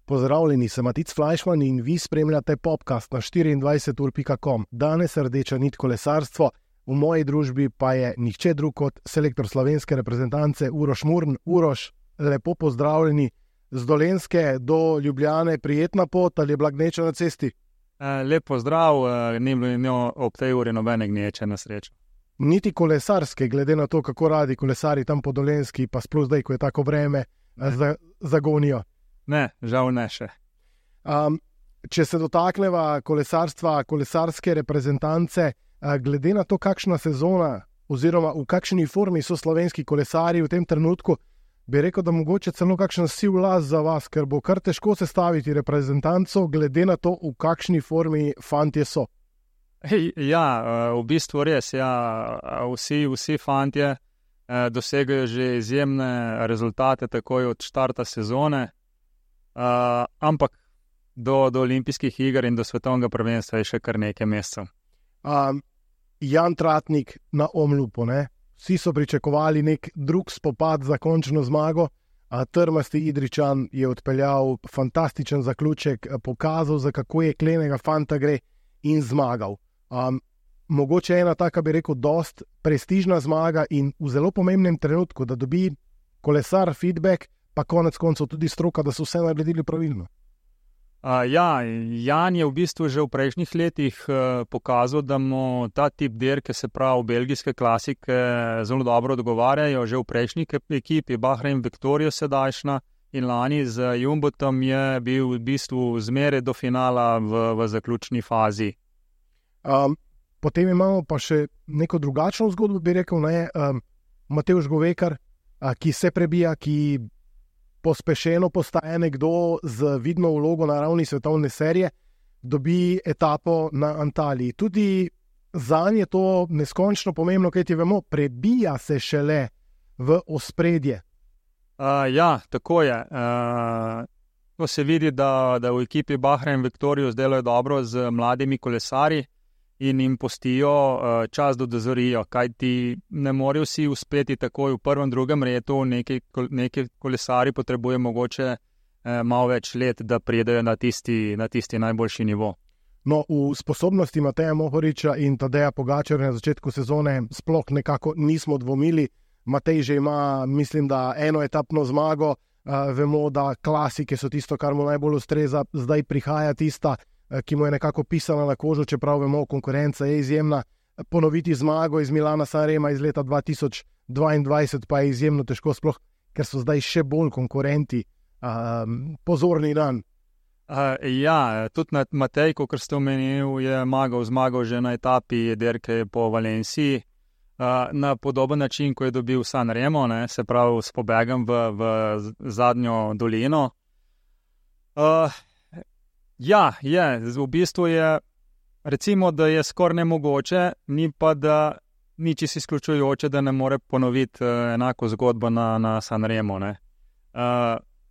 Pozdravljeni, sem Matic Flajšman in vi spremljate podcast na 24ur.com. Danes rdeča nit kolesarstvo, v moji družbi pa je nihče drug kot selektor slovenske reprezentance Uroš Murn. Uroš, lepo pozdravljeni z Dolenjske do Ljubljane, prijetna pot ali je bila gneča na cesti? Lep pozdrav, ni bilo ob tej uri nobene gneče na srečo. Niti kolesarske, glede na to, kako radi kolesari tam po Dolenjski, pa sploh zdaj, ko je tako vreme, zagonijo. Ne, žal ne še. Če se dotakneva kolesarstva, kolesarske reprezentance, glede na to, kakšna sezona oziroma v kakšni formi so slovenski kolesari v tem trenutku, bi rekel, da mogoče celo kakšen siv las za vas, ker bo kar težko sestaviti reprezentanco, glede na to, v kakšni formi fantje so. Ja, v bistvu res, ja, vsi fantje dosegajo že izjemne rezultate takoj od štarta sezone, ampak do olimpijskih iger in do svetovnega prvenstva je še kar nekaj mesecev. Jan Tratnik na Omlupu, ne? Vsi so pričakovali nek drug spopad za končno zmago, trmasti Idrijčan je odpeljal fantastičen zaključek, pokazal, za kako je klenega fanta gre in zmagal. Mogoče ena taka, bi rekel, dost prestižna zmaga in v zelo pomembnem trenutku, da dobi kolesar feedback, pa konec koncev tudi stroka, da so vse naredili pravilno. Ja, Jan je v bistvu že v prejšnjih letih pokazal, da mu ta tip dirke, se pravi belgijske klasike, zelo dobro odgovarjajo. Že v prejšnji ekipi, Bahrain Victoria sedajšnja in lani z Jumbotom je bil v bistvu zmeraj do finala v zaključni fazi. Potem imamo pa še neko drugačno zgodbo, bi rekel, ne, Matevž Govekar, ki se prebija, ki pospešeno postaje nekdo z vidno vlogo na ravni svetovne serije, dobi etapo na Antaliji. Tudi zanj je to neskončno pomembno, kaj ti vemo, prebija se šele v ospredje. Ja, tako je. To se vidi, da v ekipi Bahrain Victoria delajo dobro z mladimi kolesarji in jim pustijo čas, da dozorijo, kajti ne morejo vsi uspeti takoj v prvem, drugem redu, neki kolesari potrebuje mogoče malo več let, da pridejo na tisti najboljši nivo. No, v sposobnosti Mateja Mohoriča in Tadeja Pogačarja na začetku sezone sploh nekako nismo dvomili. Matej že ima, mislim, da eno etapno zmago, vemo, da klasike so tisto, kar mu najbolj ustreza, zdaj prihaja tista, ki mu je nekako pisala na kožo, čeprav vemo, konkurenca je izjemna. Ponoviti zmago iz Milana Sanrema iz leta 2022 pa je izjemno težko, sploh ker so zdaj še bolj konkurenti pozorni dan. Ja, tudi Matej, kot ste omenili, je zmagal že na etapi dirke po Valenciji, na podoben način, ko je dobil Sanremo, se pravi s pobegom v zadnjo dolino. Ja, v bistvu je, recimo, da je skoraj nemogoče, ni pa, da ni čisto izključujoče, da ne more ponoviti enako zgodbo na Sanremo.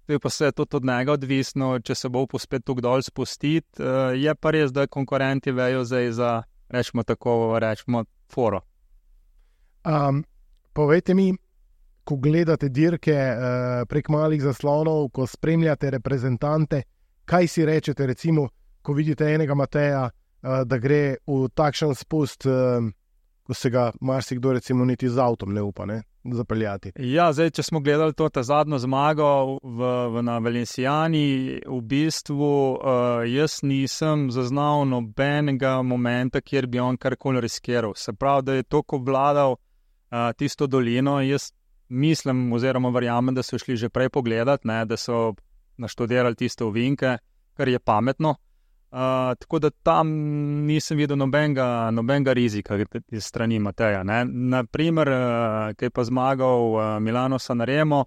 To je pa se tudi od njega odvisno, če se bo spet tukaj dol spustiti, je pa res, da konkurenti vejo zdaj za, rečemo, foro. Povejte mi, ko gledate dirke prek malih zaslonov, ko spremljate reprezentante, kaj si rečete, recimo, ko vidite enega Mateja, da gre v takšen spust, ko se ga marsikdo recimo niti z avtom ne upa zapeljati? Ja, zdaj, če smo gledali ta zadnjo zmago na Valencijani, v bistvu jaz nisem zaznal nobenega momenta, kjer bi on karkoli riskiral. Se pravi, da je toliko obvladal tisto dolino, jaz mislim oziroma verjamem, da so šli že prej pogledati, da so naštudirali tiste ovinke, kar je pametno. Tako da tam nisem videl nobenega rizika iz strani Mateja. Naprimer, ki je pa zmagal Milano Sanremo,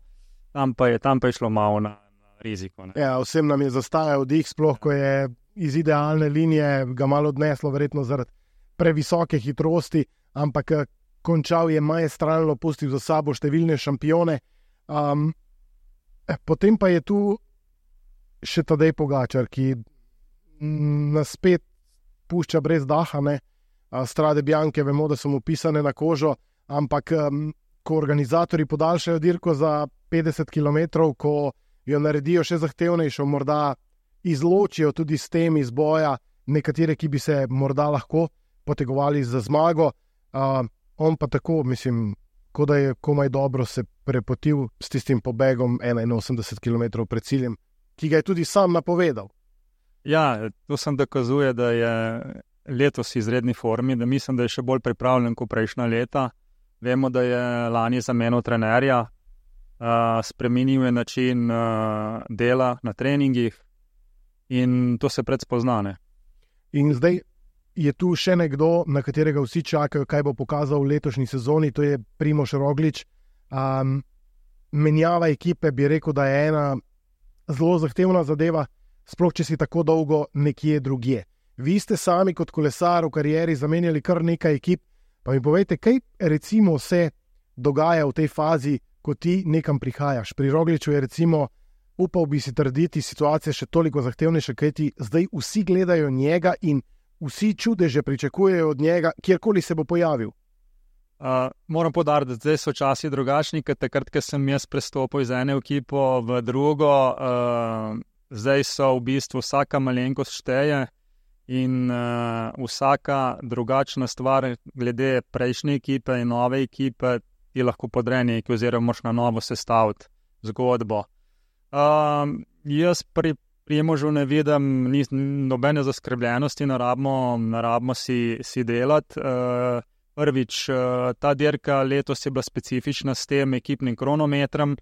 tam pa je šlo malo na riziko. Ja, vsem nam je zastajal dih, sploh ko je iz idealne linije ga malo odneslo, verjetno zaradi previsoke hitrosti, ampak končal je maestralno, pustil za sabo številne šampione. Potem pa je tu še Tadej Pogačar, ki nas spet pušča brez daha, Strade Bianche vemo, da so mu pisane na kožo, ampak ko organizatori podaljšajo dirko za 50 km, ko jo naredijo še zahtevnejšo, morda izločijo tudi s tem iz boja nekatere, ki bi se morda lahko potegovali za zmago. On pa tako, mislim, kot da je komaj dobro se prepotil s tistim pobegom 81 km pred ciljem, ki ga je tudi sam napovedal. Ja, to sem dokazuje, da je letos v izredni formi, da mislim, da je še bolj pripravljen kot prejšnja leta. Vemo, da je lani zamenjal trenerja, spremenil je način dela na treningih in to se predspozna. In zdaj je tu še nekdo, na katerega vsi čakajo, kaj bo pokazal v letošnji sezoni, to je Primož Roglič. Menjava ekipe bi rekel, da je ena zelo zahtevna zadeva, sploh če si tako dolgo nekje drugje. Vi ste sami kot kolesar v karieri zamenjali kar nekaj ekip, pa mi povejte, kaj recimo se dogaja v tej fazi, ko ti nekam prihajaš. Pri Rogliču je recimo, upal bi si trditi, situacija še toliko zahtevnejša, kaj ti zdaj vsi gledajo njega in vsi čudeže pričakujejo od njega, kjerkoli se bo pojavil. Moram poudariti, da zdaj so časi drugačni, ker takrat, ko sem jaz prestopil iz ene ekipo v drugo, zdaj so v bistvu vsaka malenkost šteje in vsaka drugačna stvar glede prejšnje ekipe in nove ekipe ti lahko podre nekaj oziroma moraš na novo sestaviti zgodbo. Jaz pri Primožu ne vidim nobene zaskrbljenosti, ne rabimo si delati. Prvič, ta dirka letos je bila specifična s tem ekipnim kronometrom.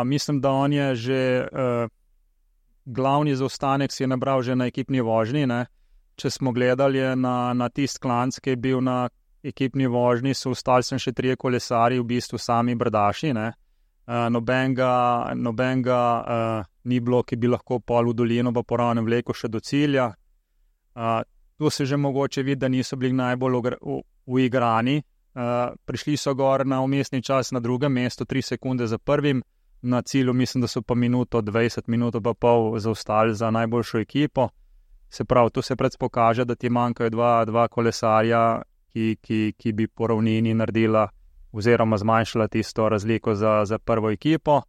Mislim, da on je že glavni zaostanek si je nabral že na ekipni vožnji. Ne? Če smo gledali na tist klanc, ki je bil na ekipni vožnji, so ostali sem še 3 kolesarji, v bistvu sami brdaši. Ne? Nobenega ni bilo, ki bi lahko pol v dolino pa poravnem vlekel še do cilja. Tu se že mogoče vidi, da niso bili najbolj uigrani. Prišli so gor na umestni čas na drugem mestu, 3 sekunde za prvim, na cilju mislim, da so pa minuto 20, minuto pa pol zaostali za najboljšo ekipo. Se pravi, tu se predpokaže, da ti manjkajo dva kolesarja, ki bi po ravnini naredila oziroma zmanjšala tisto razliko za prvo ekipo.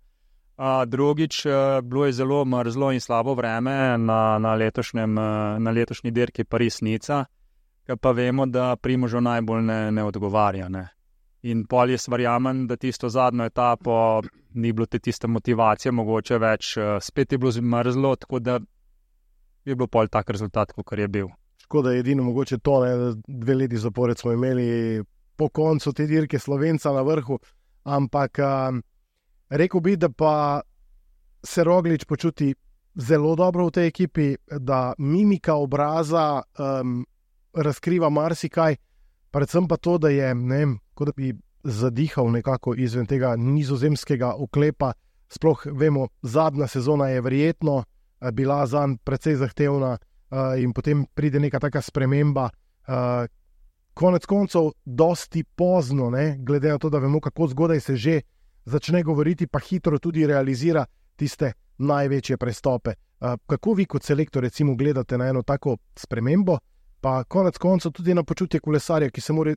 Drugič, bilo je zelo mrzlo in slabo vreme na letošnji dirki Paris-Nica, ki pa vemo, da Primožu najbolj ne odgovarja. Ne. In pol jaz verjamem, da tisto zadnjo etapo ni bilo tiste motivacije, mogoče več, spet je bilo mrzlo, tako da je bilo pol tak rezultat, kot je bil. Škoda je edino mogoče to, ne, 2 leti zapored smo imeli po koncu te dirke Slovenca na vrhu, ampak rekel bi, da pa se Roglič počuti zelo dobro v tej ekipi, da mimika obraza razkriva marsikaj, predvsem pa to, da je, ne vem, kot da bi zadihal nekako izven tega nizozemskega oklepa. Sploh vemo, zadnja sezona je verjetno bila zanj precej zahtevna in potem pride neka taka sprememba. Konec koncev dosti pozno, ne, glede na to, da vemo, kako zgodaj se že začne govoriti, pa hitro tudi realizira tiste največje prestope. Kako vi kot selektor recimo gledate na eno tako spremembo, pa konec koncev tudi na počutje kolesarja, ki se mora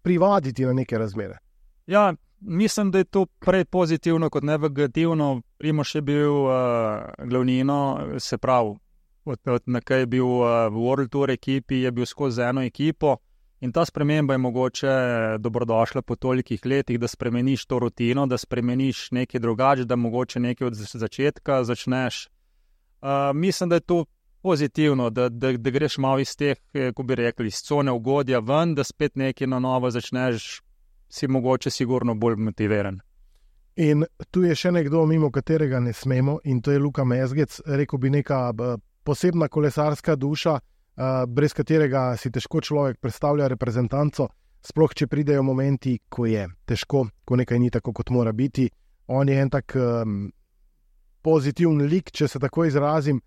privaditi na neke razmere? Ja, mislim, da je to prej pozitivno kot negativno. Primož je bil glavnino, se pravi, od nekaj je bil v World Tour ekipi, je bil skozi eno ekipo in ta sprememba je mogoče dobrodošla po tolikih letih, da spremeniš to rutino, da spremeniš nekaj drugače, da mogoče nekaj od začetka začneš. Mislim, da je to pozitivno, da greš malo iz teh, ko bi rekli, iz cone ugodja ven, da spet nekaj na novo začneš, si mogoče sigurno bolj motiviran. In tu je še nekdo, mimo katerega ne smemo, in to je Luka Mezgec, rekel bi neka posebna kolesarska duša, brez katerega si težko človek predstavlja reprezentanco, sploh če pridejo momenti, ko je težko, ko nekaj ni tako, kot mora biti. On je en tak pozitiven lik, če se tako izrazim,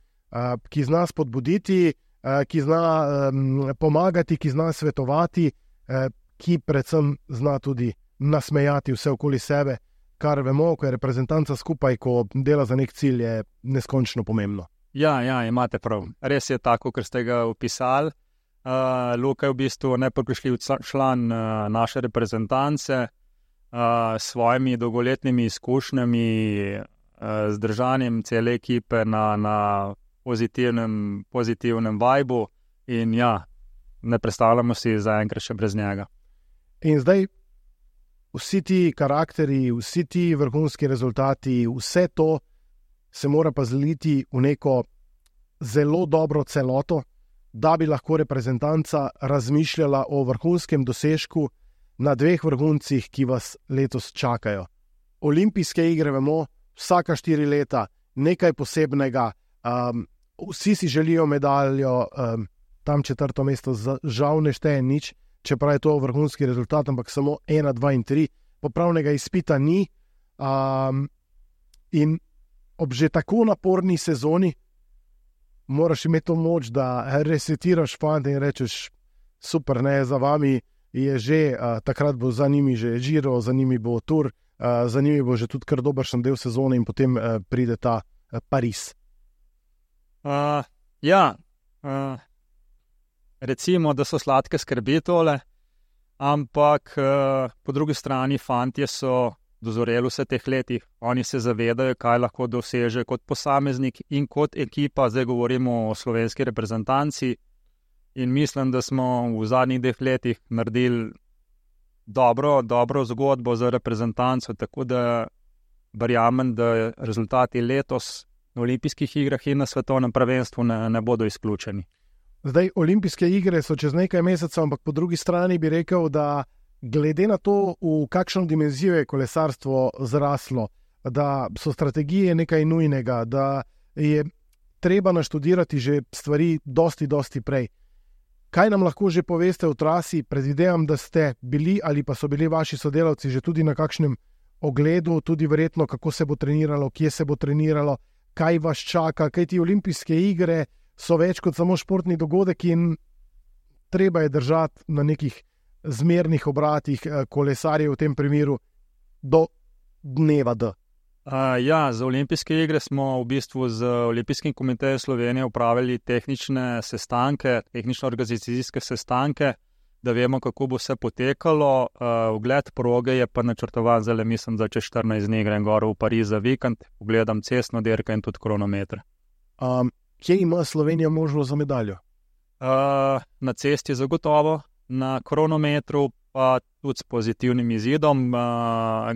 ki zna spodbuditi, ki zna pomagati, ki zna svetovati, ki predvsem zna tudi nasmejati vse okoli sebe, kar vemo, ko je reprezentanca skupaj, ko dela za nek cilj, je neskončno pomembno. Ja, imate prav. Res je tako, ker ste ga opisali. Luka je v bistvu nepogrešljiv član naše reprezentance, s svojimi dolgoletnimi izkušnjami, z držanjem cele ekipe na pozitivnem vibu in ja, ne predstavljamo si zaenkrat še brez njega. In zdaj vsi ti karakteri, vsi ti vrhunski rezultati, vse to se mora pa zliti v neko zelo dobro celoto, da bi lahko reprezentanca razmišljala o vrhunskem dosežku na dveh vrhuncih, ki vas letos čakajo. Olimpijske igre, vemo, vsaka 4 leta, nekaj posebnega, vsi si želijo medaljo, tam 4. mesto žal ne šteje nič, čeprav je to vrhunski rezultat, ampak samo 1, 2 in 3, popravnega izpita ni. In ob že tako naporni sezoni moraš imeti to moč, da resetiraš fante in rečeš, super, ne, za vami je že, takrat bo za njimi že Giro, za njimi bo Tour, za njimi bo že tudi kar dobršen del sezone in potem pride ta Pariz. Recimo, da so sladke skrbi tole, ampak po drugi strani fantje so dozoreli vse teh letih. Oni se zavedajo, kaj lahko doseže kot posameznik in kot ekipa. Zdaj govorimo o slovenski reprezentanci in mislim, da smo v zadnjih 2 letih naredili dobro zgodbo za reprezentanco, tako da verjamem, da rezultati letos na olimpijskih igrah in na svetovnem prvenstvu ne bodo izključeni. Zdaj, olimpijske igre so čez nekaj mesecev, ampak po drugi strani bi rekel, da glede na to, v kakšno dimenzijo je kolesarstvo zraslo, da so strategije nekaj nujnega, da je treba naštudirati že stvari dosti prej. Kaj nam lahko že poveste o trasi? Predvidevam, da ste bili ali pa so bili vaši sodelavci že tudi na kakšnem ogledu, tudi verjetno, kako se bo treniralo, kje se bo treniralo, kaj vas čaka, kaj ti olimpijske igre so več kot samo športni dogodek in treba je držati na nekih zmernih obratih kolesarjev v tem primeru do dneva D. Za olimpijske igre smo v bistvu z Olimpijskim komitejem Slovenije upravili tehnične sestanke, tehnično-organizacijske sestanke, da vemo, kako bo vse potekalo. Ogled proge je pa načrtovan zdaj, mislim, da čez 14 dni grem gor v Pariz za vikend, pogledam cestno dirko in tudi kronometre. Kje ima Slovenija možnost za medaljo? Na cesti zagotovo, na kronometru pa tudi s pozitivnim izidom,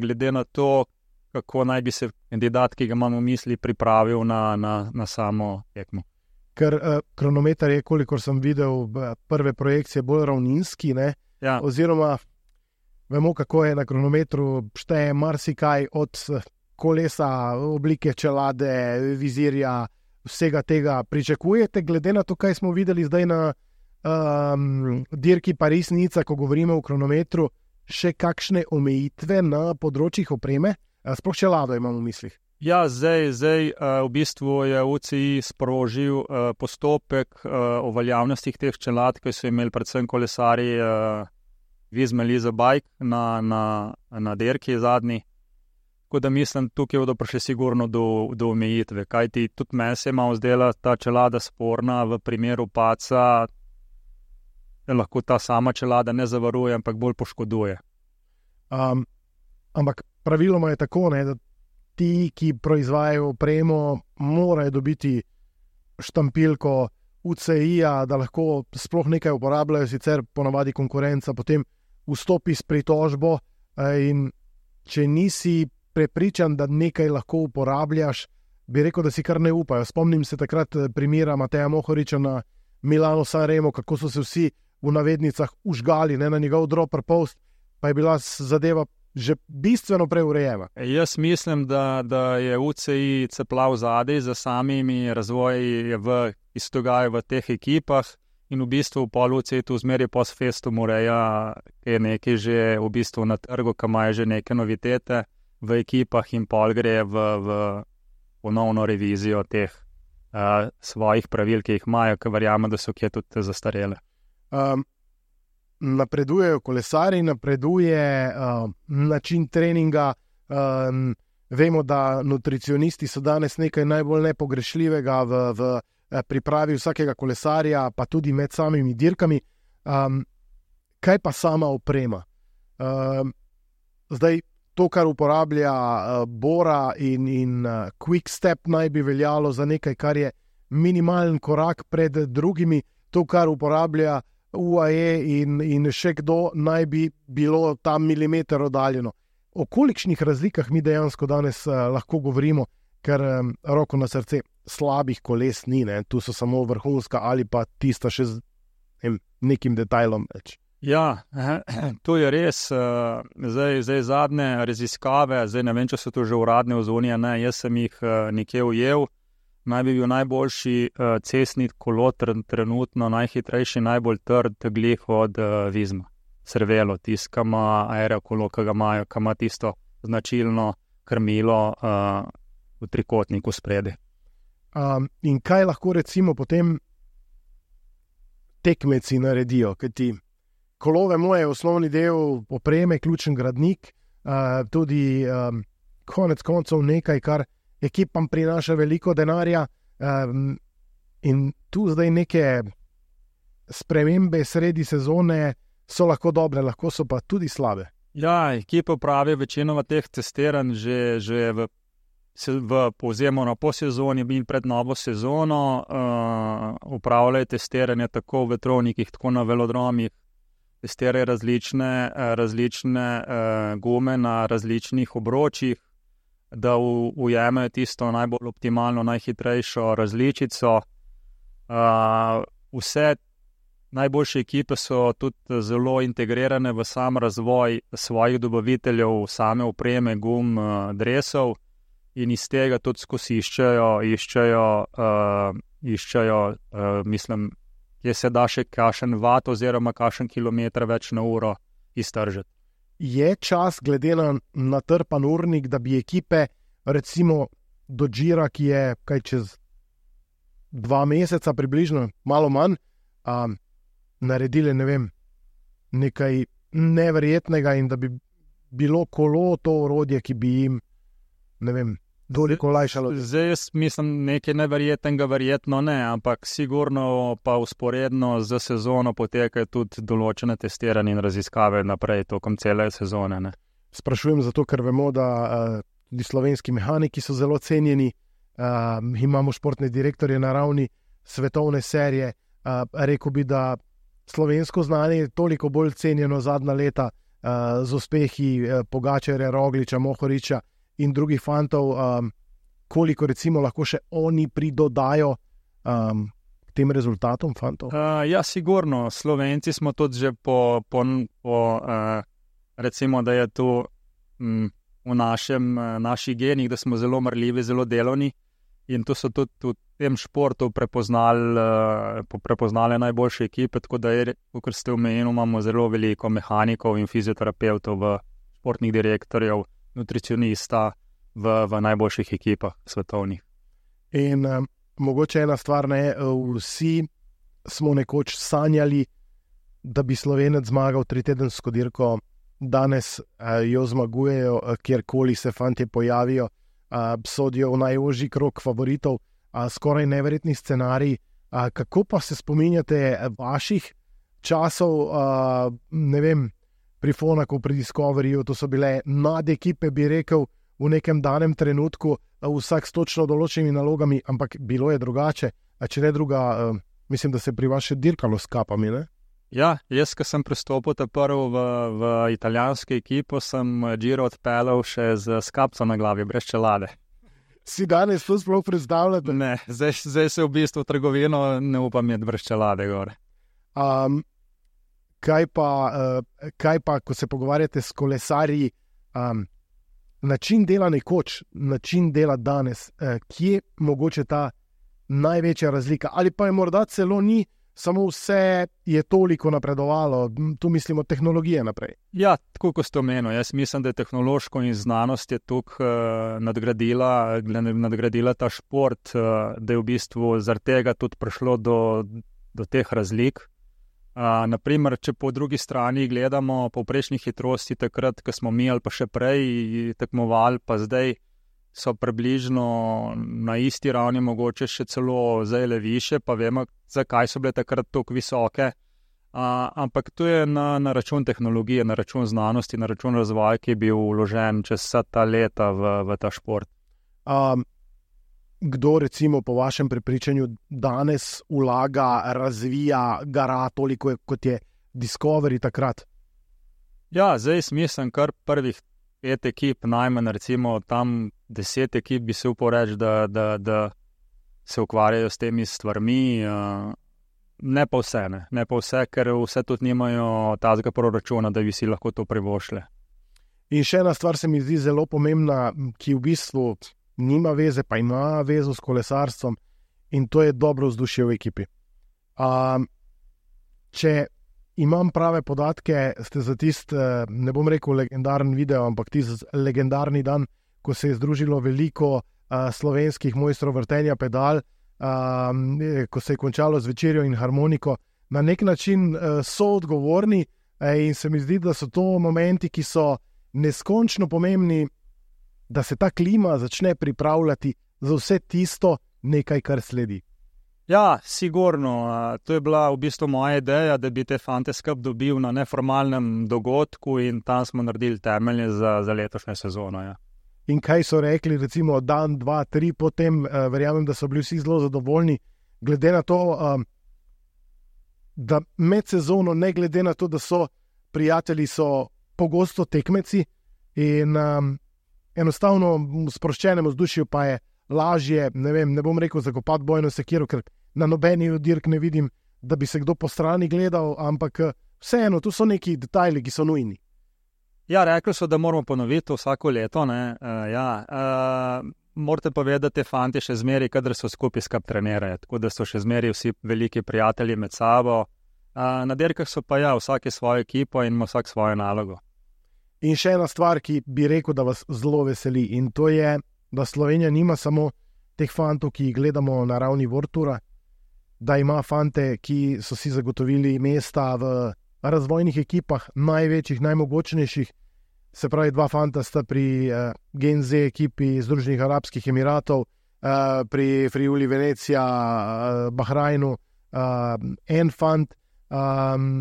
glede na to, kako naj bi se kandidat, ki ga imamo v misli, pripravil na samo tekmo. Ker kronometer je, kolikor sem videl, prve projekcije bolj ravninski, ne? Ja. Oziroma, vemo, kako je na kronometru, šteje marsikaj od kolesa, oblike čelade, vizirja, vsega tega. Pričakujete, glede na to, kaj smo videli zdaj na dirki Pariz-Nica, ko govorimo o kronometru, še kakšne omejitve na področjih opreme? Sploh čelado imam v mislih. Ja, zdaj v bistvu je UCI sprožil postopek o veljavnostih teh čelad, ki so imeli predvsem kolesarji Visma-Lease Bike na dirki zadnji. Tako da mislim, tukaj bodo prišli sigurno do omejitve, kajti tudi meni se je malo zdela ta čelada sporna v primeru padca, da lahko ta sama čelada ne zavaruje, ampak bolj poškoduje. Ampak praviloma je tako, ne, da ti, ki proizvajajo opremo, morajo dobiti štampilko UCI-ja, da lahko sploh nekaj uporabljajo, sicer ponavadi konkurenca potem vstopi s pritožbo in če nisi prepričan, da nekaj lahko uporabljaš, bi rekel, da si kar ne upajo. Spomnim se takrat primera Mateja Mohoriča na Milano-Sanremo, kako so se vsi v navednicah užgali, ne, na njegov dropper post, pa je bila zadeva že bistveno preurejena. Jaz mislim, da je UCI ceplav zadej za samimi razvoji ki se dogajajo v teh ekipah in v bistvu pol UCI tu zmeraj post festum ureja, ki je nekaj že v bistvu na trgu, ki imajo že neke novitete v ekipah in pol gre v ponovno revizijo teh svojih pravil, ki jih imajo, ki verjamem, da so kje tudi zastarele. Napredujejo kolesari, napreduje način treninga. Vemo, da nutricionisti so danes nekaj najbolj nepogrešljivega v pripravi vsakega kolesarja, pa tudi med samimi dirkami. Kaj pa sama oprema? Zdaj, to, kar uporablja Bora in Quick Step, naj bi veljalo za nekaj, kar je minimalen korak pred drugimi. To, kar uporablja UAE in še kdo, naj bi bilo tam milimeter oddaljeno. O kolikšnih razlikah mi dejansko danes lahko govorimo, ker roko na srce slabih koles ni, ne? Tu so samo vrhunska ali pa tista še z nekim detajlom več. Ja, to je res. Zdaj zadnje raziskave, zdaj ne vem, če so to že uradne ozonije, ne, jaz sem jih nekje ujel. Naj bi bil najboljši cestni kolo trenutno, najhitrejši, najbolj trd glih od Vizma. Cervelo, tisto, ki ima aerokolo, ki ima tisto značilno krmilo v trikotniku spredi. In kaj lahko recimo potem tekmeci naredijo? Kajti kolo, vemo, je osnovni del opreme, ključen gradnik, tudi konec koncev nekaj, kar ekipam prinaša veliko denarja, in tu zdaj neke spremembe sredi sezone so lahko dobre, lahko so pa tudi slabe. Ja, ekipa pravi večinoma teh testiranj že povzemano po sezoni in pred novo sezono upravljajo testiranje tako v vetrovnikih, tako na velodromih, testirajo različne gume na različnih obročih, da ujemajo tisto najbolj optimalno, najhitrejšo različico. Vse najboljše ekipe so tudi zelo integrirane v sam razvoj svojih dobaviteljev, same opreme, gum, dresov, in iz tega tudi skozi iščejo, mislim, kje se da še kakšen vat oziroma kakšen kilometer več na uro iztržiti. Je čas, glede na natrpan urnik, da bi ekipe, recimo do Gira, ki je kaj čez 2 meseca približno, malo manj, naredile, ne vem, nekaj neverjetnega in da bi bilo kolo to orodje, ki bi jim, ne vem, toliko olajšalo. Zdaj jaz mislim, nekaj neverjetnega verjetno ne, ampak sigurno pa usporedno z sezono potekajo tudi določene testiranje in raziskave naprej tokom cele sezone. Ne. Sprašujem zato, ker vemo, da tudi slovenski mehaniki so zelo cenjeni, imamo športne direktorje na ravni svetovne serije, rekel bi, da slovensko znanje je toliko bolj cenjeno zadnja leta z uspehi Pogačarja, Rogliča, Mohoriča in drugih fantov, koliko recimo lahko še oni pridodajo k tem rezultatom fantov? Ja, sigurno. Slovenci smo tudi že po recimo, da je to v naših genih, da smo zelo marljivi, zelo delovni, in to so tudi v tem športu prepoznale najboljše ekipe, tako da je, kot ste omenili, imamo zelo veliko mehanikov in fizioterapevtov, športnih direktorjev, nutricionista v najboljših ekipah svetovnih. In mogoče ena stvar, ne, vsi smo nekoč sanjali, da bi Slovenec zmagal 3-tedensko dirko, danes jo zmagujejo, kjerkoli se fantje pojavijo, sodijo v najožji krog favoritov, skoraj neverjetni scenarij. Kako pa se spominjate vaših časov, ne vem, pri Fonaku, pri Discoveryju, to so bile nadekipe, bi rekel, v nekem danem trenutku, vsak s točno določenimi nalogami, ampak bilo je drugače. Če ne druga, mislim, da se pri vas še dirkalo s kapami, ne? Ja, jaz, ko sem pristopil prvi v italijansko ekipo, sem Giro odpeljal še z kapco na glavi, brez čelade. Si danes to sploh predstavljate? Ne, zdaj se v bistvu v trgovino ne upam imeti brez čelade gore. Kaj pa, ko se pogovarjate s kolesarji, način dela nekoč, način dela danes, kje mogoče ta največja razlika? Ali pa je morda celo ni, samo vse je toliko napredovalo, tu mislimo tehnologije naprej? Ja, tako kot ste omenili, jaz mislim, da je tehnološko in znanost je tukaj nadgradila ta šport, da je v bistvu zaradi tega tudi prišlo do teh razlik. Naprimer, če po drugi strani gledamo povprečni hitrosti takrat, ko smo mi ali pa še prej tekmovali, pa zdaj so približno na isti ravni, mogoče še celo zdaj više, pa vemo, zakaj so bile takrat tako visoke. Ampak to je na račun tehnologije, na račun znanosti, na račun razvoja, ki je bil vložen čez vsa ta leta v ta šport. Kdo recimo po vašem prepričanju danes vlaga, razvija, gara toliko, kot je Discovery takrat? Ja, zdaj mislim, kar prvih 5 ekip, najmanj recimo tam 10 ekip bi se upal reči, da se ukvarjajo s temi stvarmi. Ne pa vse, ker vse tudi nimajo tazga proračuna, da bi si lahko to privošle. In še ena stvar se mi zdi zelo pomembna, ki v bistvu nima veze, pa ima vezo s kolesarstvom, in to je dobro vzdušje v ekipi. Če imam prave podatke, ste za tisti, ne bom rekel legendaren video, ampak tisti legendarni dan, ko se je združilo veliko slovenskih mojstrov vrtenja pedal, ko se je končalo z večerjo in harmoniko, na nek način so odgovorni, in se mi zdi, da so to momenti, ki so neskončno pomembni, da se ta klima začne pripravljati za vse tisto nekaj, kar sledi. Ja, sigurno. To je bila v bistvu moja ideja, da bi te fante skupaj dobil na neformalnem dogodku in tam smo naredili temelje za letošnjo sezono. Ja. In kaj so rekli, recimo dan, 2, 3 potem, verjamem, da so bili vsi zelo zadovoljni, glede na to, da med sezono, ne glede na to, da so prijatelji, so pogosto tekmeci in enostavno v sproščenem vzdušju pa je lažje, ne bom rekel zakopati bojno sekiro, ker na nobeni od dirk ne vidim, da bi se kdo po strani gledal, ampak vseeno, tu so neki detajli, ki so nujni. Ja, rekli so, da moramo ponoviti vsako leto. Morate pa vedeti, da te fanti še zmeri, kadar so skupaj trenirajo, tako da so še zmeri vsi veliki prijatelji med sabo. Na dirkah so pa vsak je svojo ekipo in ima vsak svojo nalogo. In še ena stvar, ki bi rekel, da vas zelo veseli, in to je, da Slovenija nima samo teh fantov, ki jih gledamo na ravni World Toura, da ima fante, ki so si zagotovili mesta v razvojnih ekipah, največjih, najmogočnejših. Se pravi, 2 fanta sta pri Gen Z ekipi Združenih Arabskih Emiratov, pri Friuli Venecija, Bahrajnu, en fant.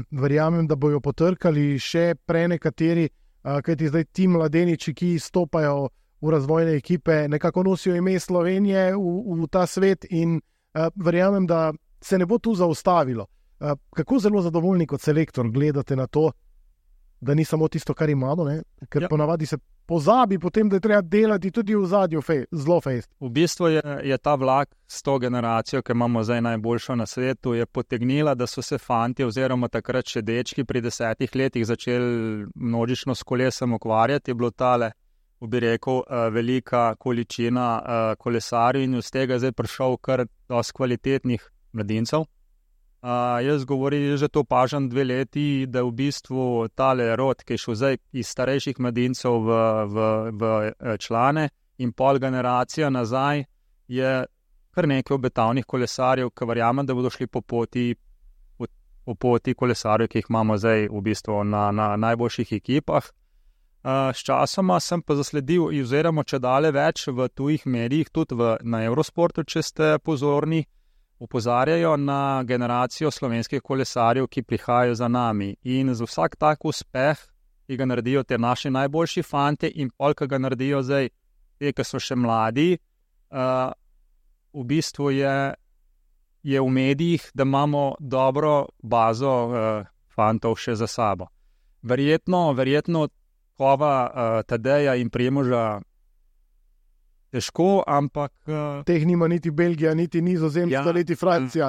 Verjamem, da bojo potrkali še nekateri, kajti zdaj ti mladeniči, ki stopajo v razvojne ekipe, nekako nosijo ime Slovenije v ta svet in verjamem, da se ne bo tu zaustavilo. Kako zelo zadovoljni kot selektor gledate na to, da ni samo tisto, kar imamo, ker ponavadi se pozabi potem, da je treba delati tudi v zadnjo zelo fejst. V bistvu je ta vlak s to generacijo, ki imamo zdaj najboljšo na svetu, je potegnila, da so se fanti oziroma takrat še dečki pri 10 letih začeli množično s kolesom ukvarjati. Je bilo tale, bi rekel, velika količina kolesarjev in iz tega zdaj prišel kar dosti kvalitetnih mladincev. Jaz že to opažam 2 leti, da v bistvu tale rod, ki je šel zdaj iz starejših mladincev v člane in pol generacija nazaj, je kar nekaj obetavnih kolesarjev, ki verjamem, da bodo šli po poti kolesarjev, ki jih imamo zdaj v bistvu na najboljših ekipah. S časoma sem pa zasledil, oziroma čedalje več v tujih medijih, tudi na Eurosportu, če ste pozorni, opozarjajo na generacijo slovenskih kolesarjev, ki prihajajo za nami. In za vsak tak uspeh, ki ga naredijo te naši najboljši fante in pol, ki ga naredijo zdaj te, ki so še mladi, v bistvu je v medijih, da imamo dobro bazo fantov še za sabo. Verjetno kova Tadeja in Primoža težko, ampak... Teh nima niti Belgija, niti Nizozemska, niti Francija.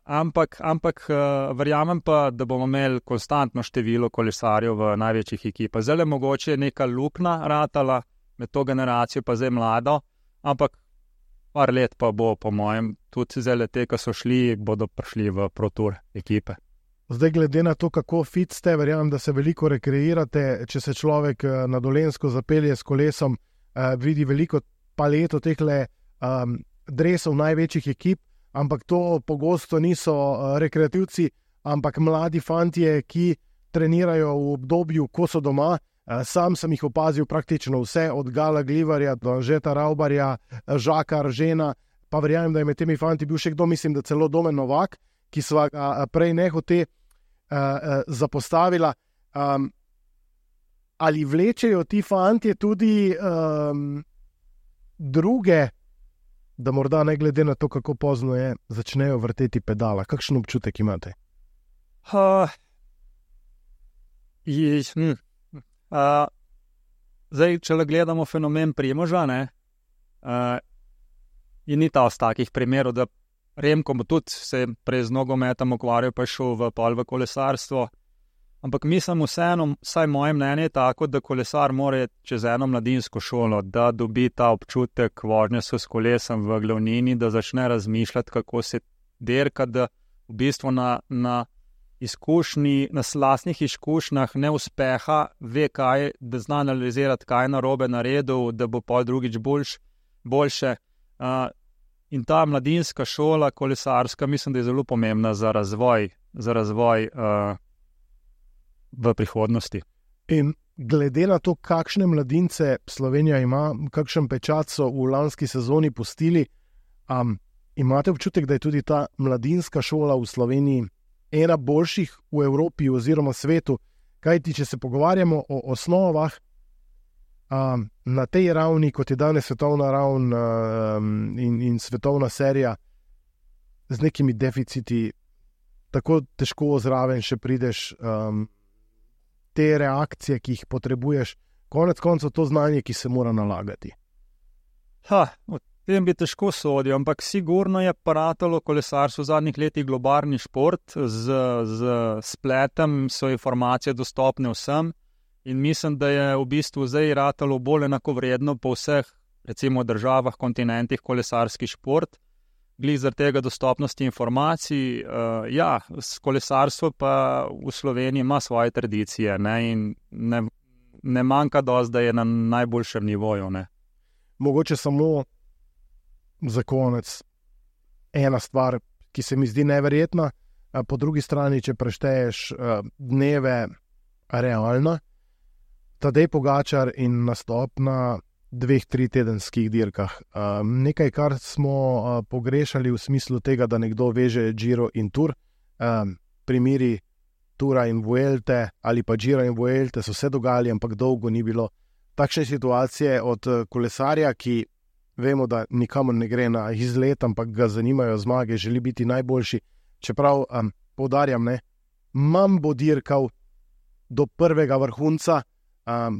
Ampak verjamem pa, da bomo imeli konstantno število kolesarjev v največjih ekipah. Zdaj mogoče je neka luknja ratala med to generacijo, pa zdaj mlado, ampak par let pa bo, po mojem, tudi zdaj te, ki so šli, bodo prišli v Pro Tour ekipe. Zdaj, glede na to, kako fit ste, verjamem, da se veliko rekreirate, če se človek na Dolenjsko zapelje s kolesom, vidi veliko paleto tehle dresov največjih ekip, ampak to pogosto niso rekreativci, ampak mladi fantje, ki trenirajo v obdobju, ko so doma. Sam sem jih opazil praktično vse, od Gala Glivarja do Anžeta Ravbarja, Žaka Aržena, pa verjamem, da je med temi fanti bil še kdo, mislim, da celo Domen Novak, ki sva prej nehote zapostavila. Ali vlečejo ti fantje tudi druge, da morda ne glede na to, kako pozno je, začnejo vrteti pedala? Kakšen občutek imate? Zdaj, če le gledamo fenomen Primoža, in ni ta z takih primerov, da Remko tudi se prej z nogometom ukvarjal, pa je šel v kolesarstvo. Ampak mislim vseeno, vsaj moje mnenje je tako, da kolesar mora čez eno mladinsko šolo, da dobi ta občutek vožnje s kolesom v glavnini, da začne razmišljati, kako se dirka, da v bistvu na izkušnji, na lastnih izkušnjah neuspeha ve kaj, da zna analizirati, kaj je narobe naredil, da bo pol drugič boljše. In ta mladinska šola, kolesarska, mislim, da je zelo pomembna za razvoj v prihodnosti. In glede na to, kakšne mladince Slovenija ima, kakšen pečat so v lanski sezoni pustili, imate občutek, da je tudi ta mladinska šola v Sloveniji ena boljših v Evropi oziroma svetu? Kajti, če se pogovarjamo o osnovah, na tej ravni, kot je danes svetovna ravn in svetovna serija, z nekimi deficiti, tako težko zraven še prideš, te reakcije, ki jih potrebuješ, konec koncev to znanje, ki se mora nalagati. O tem bi težko sodil, ampak sigurno je paratalo kolesarstvo v zadnjih letih globalni šport, z spletom so informacije dostopne vsem in mislim, da je v bistvu zdaj ratalo bolj enakovredno po vseh, recimo državah, kontinentih kolesarski šport. Glih zaradi tega dostopnosti informacij, kolesarstvo pa v Sloveniji ima svoje tradicije, in ne manjka dosti, da je na najboljšem nivoju. Mogoče samo za konec ena stvar, ki se mi zdi neverjetna, po drugi strani, če prešteješ dneve realno, Tadej Pogačar in nastop na 2-3 tedenskih dirkah. Nekaj, kar smo pogrešali v smislu tega, da nekdo veže Giro in Tour. Primeri Tura in Vuelte ali pa Gira in Vuelte so se dogajali, ampak dolgo ni bilo takšne situacije od kolesarja, ki vemo, da nikamor ne gre na izlet, ampak ga zanimajo zmage, želi biti najboljši. Čeprav, poudarjam, manj bo dirkal do prvega vrhunca,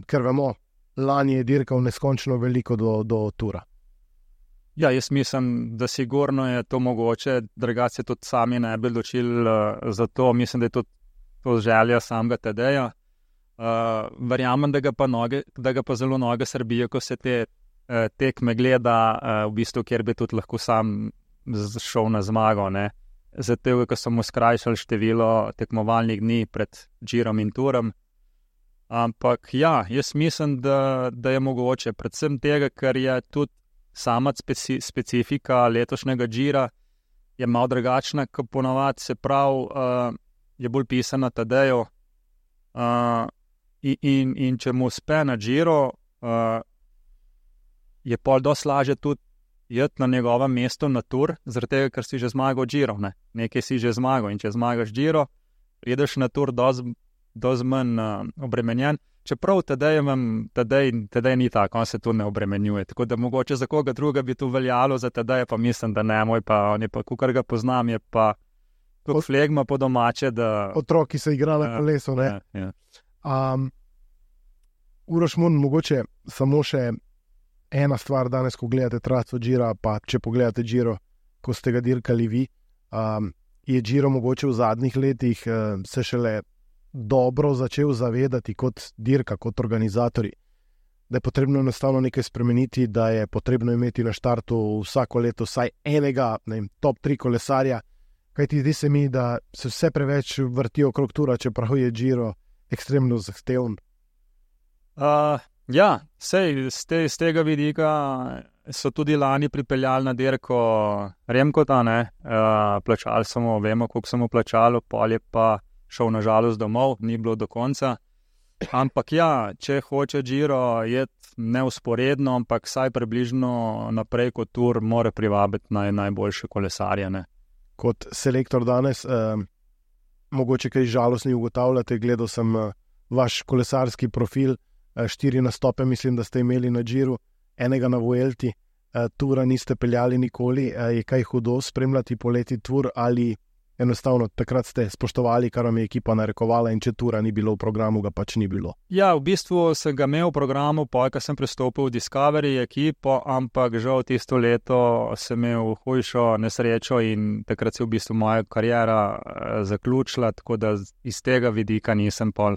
ker vemo, lani je dirkal neskončno veliko do Tura. Ja, jaz mislim, da sigurno je to mogoče, drugače tudi sami ne bi odločili za to. Mislim, da je to želja samega Tadeja. Verjamem, da ga pa zelo noge srbijo, ko se te tekme gleda, v bistvu, kjer bi tudi lahko sam šel na zmago. Zato, ko so mu skrajšali število tekmovalnih dni pred Girom in Turom. Ampak jaz mislim, da je mogoče, predvsem tega, ker je tudi sama specifika letošnjega Gira je malo drugačna, kot ponavadi, se pravi, je bolj pisana Tadeju. In če mu uspe na Giro, je pol dosti lažje tudi iti na njegovem mestu na Tour, zaradi tega, ker si že zmagal Giro. Nekaj si že zmagal in če zmagaš Giro, prideš na Tour dosti manj obremenjen. Čeprav Tadej ni tako, on se tu ne obremenjuje. Tako da mogoče za koga druga bi to veljalo, za Tadeja pa mislim, da ne, on je pa, kakor ga poznam, je pa kot flegma po domače, da... Otroki se igra na kolesu, ne? Ja. Uroš Mun, mogoče samo še ena stvar danes, ko gledate traco Gira, pa če pogledate Giro, ko ste ga dirkali vi, je Giro mogoče v zadnjih letih se šele dobro začel zavedati kot dirka, kot organizatorji, da je potrebno enostavno nekaj spremeniti, da je potrebno imeti na štartu vsako leto vsaj enega, top 3 kolesarja, kajti zdi se mi, da se vse preveč vrtijo okrog Tura, čeprav je Giro ekstremno zahteven. Sej z tega vidika so tudi lani pripeljali na dirko Remkota, plačali smo, vemo, koliko smo plačali, pol je pa šel nažalost domov, ni bilo do konca. Ampak ja, če hoče Giro jeti neusporedno, ampak vsaj približno naprej kot Tour, mora privabiti najboljše kolesarje. Ne? Kot selektor danes, mogoče kaj žalostni ugotavljate, gledal sem vaš kolesarski profil, 4 nastope mislim, da ste imeli na Giru, enega na Vuelti, Tura niste peljali nikoli, je kaj hudo spremljati poleti Tour ali enostavno takrat ste spoštovali, kar vam je ekipa narekovala in če Tura ni bilo v programu, ga pač ni bilo? Ja, v bistvu sem ga imel v programu, ko sem pristopil v Discovery ekipo, ampak žal tisto leto sem imel hujšo nesrečo in takrat se je v bistvu moja kariera zaključila, tako da iz tega vidika nisem pol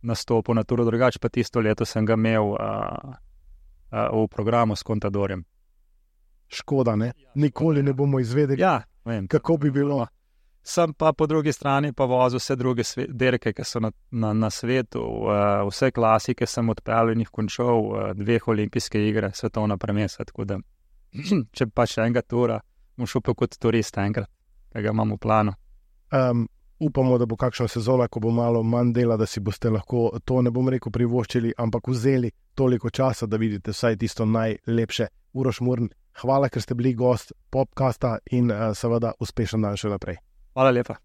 nastopil na Turu, drugače pa tisto leto sem ga imel v programu s Contadorjem. Škoda, ne? Nikoli ne bomo izvedeli, ja, vem, kako bi bilo. Sem pa po drugi strani pa vozil vse druge derke, ki so na svetu, vse klasike sem odpeljal in jih končal, 2 olimpijske igre, svetovna prvenstva, tako da če pa še enega Tura, bom šel pa kot turist enkrat, ki ga imam v planu. Upamo, da bo kakšna sezona, ko bo malo manj dela, da si boste lahko to, ne bom rekel privoščili, ampak vzeli toliko časa, da vidite vsaj tisto najlepše. Uroš Murn, hvala, ker ste bili gost Popcasta in seveda uspešen dan še naprej. Hvala lepa.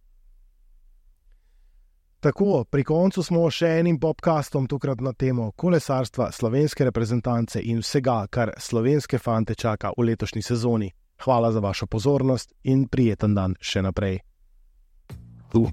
Tako, pri koncu smo še enim Popcastom, tokrat na temo kolesarstva, slovenske reprezentance in vsega, kar slovenske fante čaka v letošnji sezoni. Hvala za vašo pozornost in prijeten dan še naprej. Cool.